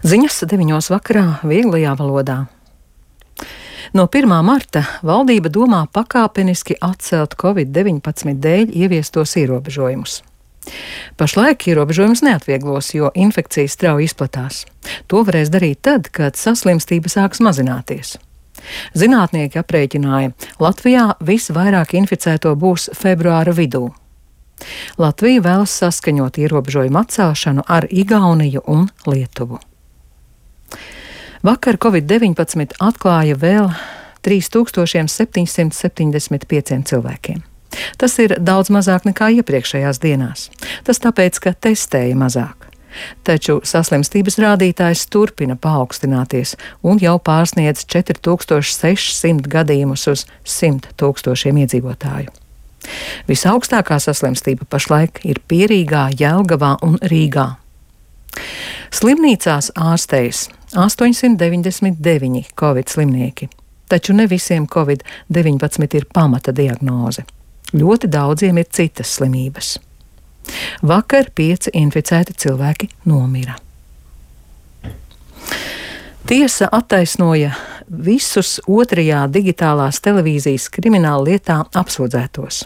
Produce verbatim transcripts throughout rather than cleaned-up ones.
Ziņas deviņos vakarā vieglajā valodā. No pirmā marta valdība domā pakāpeniski atcelt covid deviņpadsmit dēļ ieviestos ierobežojumus. Pašlaik ierobežojumus neatvieglos, jo infekcija strauji izplatās. To varēs darīt tad, kad saslimstība sāks mazināties. Zinātnieki aprēķināja, Latvijā visvairāk inficēto būs februāra vidū. Latvija vēlas saskaņot ierobežojumu atcelšanu ar Igauniju un Lietuvu. Vakar covid deviņpadsmit atklāja vēl trīs tūkstoši septiņsimt septiņdesmit pieciem cilvēkiem. Tas ir daudz mazāk nekā iepriekšējās dienās. Tas tāpēc, ka testēja mazāk. Taču saslimstības rādītājs turpina paaugstināties un jau pārsniedz četri tūkstoši sešsimt gadījumus uz simt tūkstošiem iedzīvotāju. Visaugstākā saslimstība pašlaik ir Pierīgā, Jelgavā un Rīgā. Slimnīcās ārstējas astoņsimt deviņdesmit deviņi covid slimnieki, taču ne visiem covid deviņpadsmit ir pamata diagnoze. Ļoti daudziem ir citas slimības. Vakar pieci inficēti cilvēki nomira. Tiesa attaisnoja visus otrajā digitālās televīzijas krimināla lietā apsūdzētos.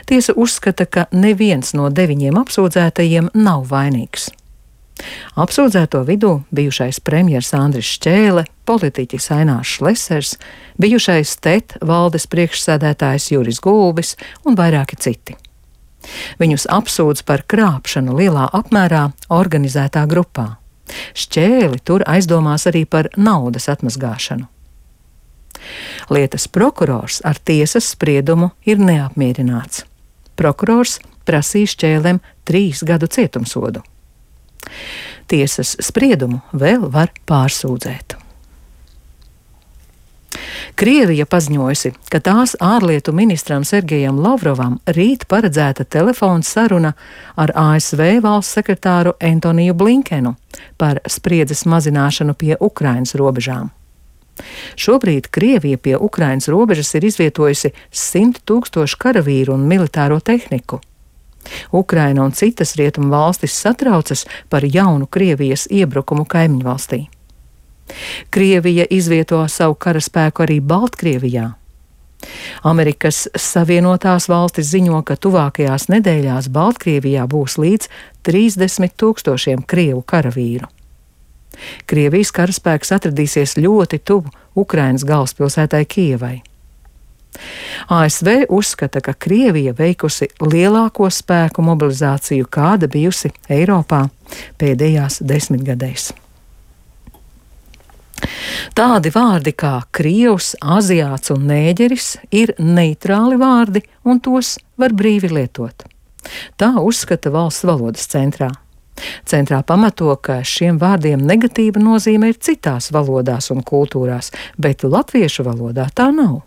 Tiesa uzskata, ka neviens no deviņiem apsūdzētajiem nav vainīgs. Apsūdzēto vidū bijušais premjers Andris Šķēle, politiķis Ainārs Šlesers, bijušais T E T valdes priekšsēdētājs Juris Gulbis un vairāki citi. Viņus apsūdz par krāpšanu lielā apmērā organizētā grupā. Šķēli tur aizdomās arī par naudas atmazgāšanu. Lietas prokurors ar tiesas spriedumu ir neapmierināts. Prokurors prasīja Šķēlem trīs gadu cietumsodu. Tiesas spriedumu vēl var pārsūdzēt. Krievija paziņojusi, ka tās ārlietu ministram Sergejam Lavrovam rīt paredzēta telefona saruna ar A S V valsts sekretāru Antoniju Blinkenu par spriedzes mazināšanu pie Ukrainas robežām. Šobrīd Krievija pie Ukrainas robežas ir izvietojusi simt tūkstošu karavīru un militāro tehniku. Ukraina un citas rietumu valstis satraucas par jaunu Krievijas iebrukumu kaimiņvalstī. Krievija izvieto savu karaspēku arī Baltkrievijā. Amerikas Savienotās valstis ziņo, ka tuvākajās nedēļās Baltkrievijā būs līdz trīsdesmit tūkstošiem krievu karavīru. Krievijas karaspēks atradīsies ļoti tuvu Ukrainas galvaspilsētai Kijevai. A S V uzskata, ka Krievija veikusi lielāko spēku mobilizāciju, kāda bijusi Eiropā pēdējās desmitgadēs. Tādi vārdi kā krievs, aziāts un nēģeris ir neitrāli vārdi, un tos var brīvi lietot. Tā uzskata Valsts valodas centrā. Centrā pamato, ka šiem vārdiem negatīva nozīme ir citās valodās un kultūrās, bet latviešu valodā tā nav.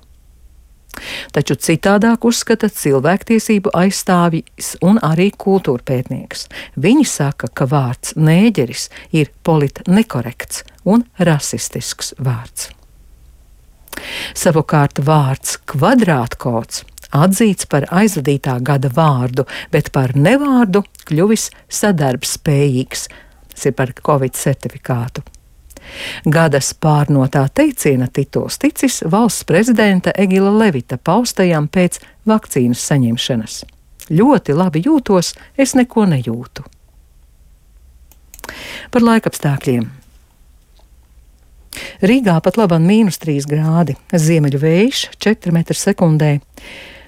Taču citādāk uzskata cilvēktiesību aizstāvjs un arī kultūrpētnieks. Viņi saka, ka vārds nēģeris ir politnekorekts un rasistisks vārds. Savukārt vārds kvadrātkods atzīts par aizvadītā gada vārdu, bet par nevārdu kļuvis sadarbspējīgs, tas ir par covid certifikātu. Gadas pārnotā teiciena tituls ticis valsts prezidenta Egila Levita paustajam pēc vakcīnas saņemšanas. Ļoti labi jūtos, es neko nejūtu. Par laikapstākļiem. Rīgā pat labam mīnus trīs grādi, ziemeļu vējš četri metri sekundē,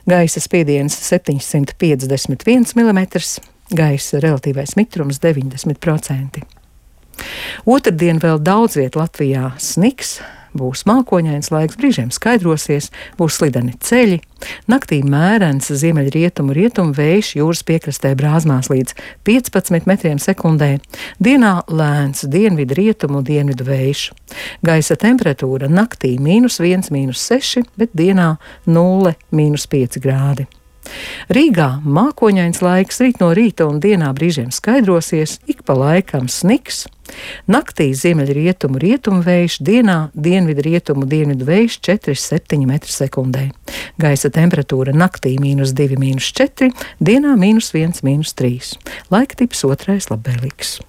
gaisa spiediens septiņsimt piecdesmit viens milimetrs, gaisa relatīvais mitrums deviņdesmit procenti. Otrdien vēl daudz viet Latvijā sniks, būs mākoņains laiks, brīžiem skaidrosies, būs slideni ceļi, naktī mērens ziemeļrietumu rietumu vējš jūras piekrastē brāzmās līdz piecpadsmit metriem sekundē, dienā lēns dienvidu rietumu dienvidu vējš. Gaisa temperatūra naktī mīnus viens, mīnus seši, bet dienā nulle, mīnus pieci grādi. Rīgā mākoņains laiks, rīt no rīta un dienā brīžiem skaidrosies, ik pa laikam sniks. Naktī ziemeļrietumu rietumu vējš, dienā dienvidu rietumu dienvidu vējš četri septiņi metri sekundē. Gaisa temperatūra naktī mīnus divi, mīnus četri, dienā mīnus viens, mīnus trīs. Laika tips otrais labvēlīgs.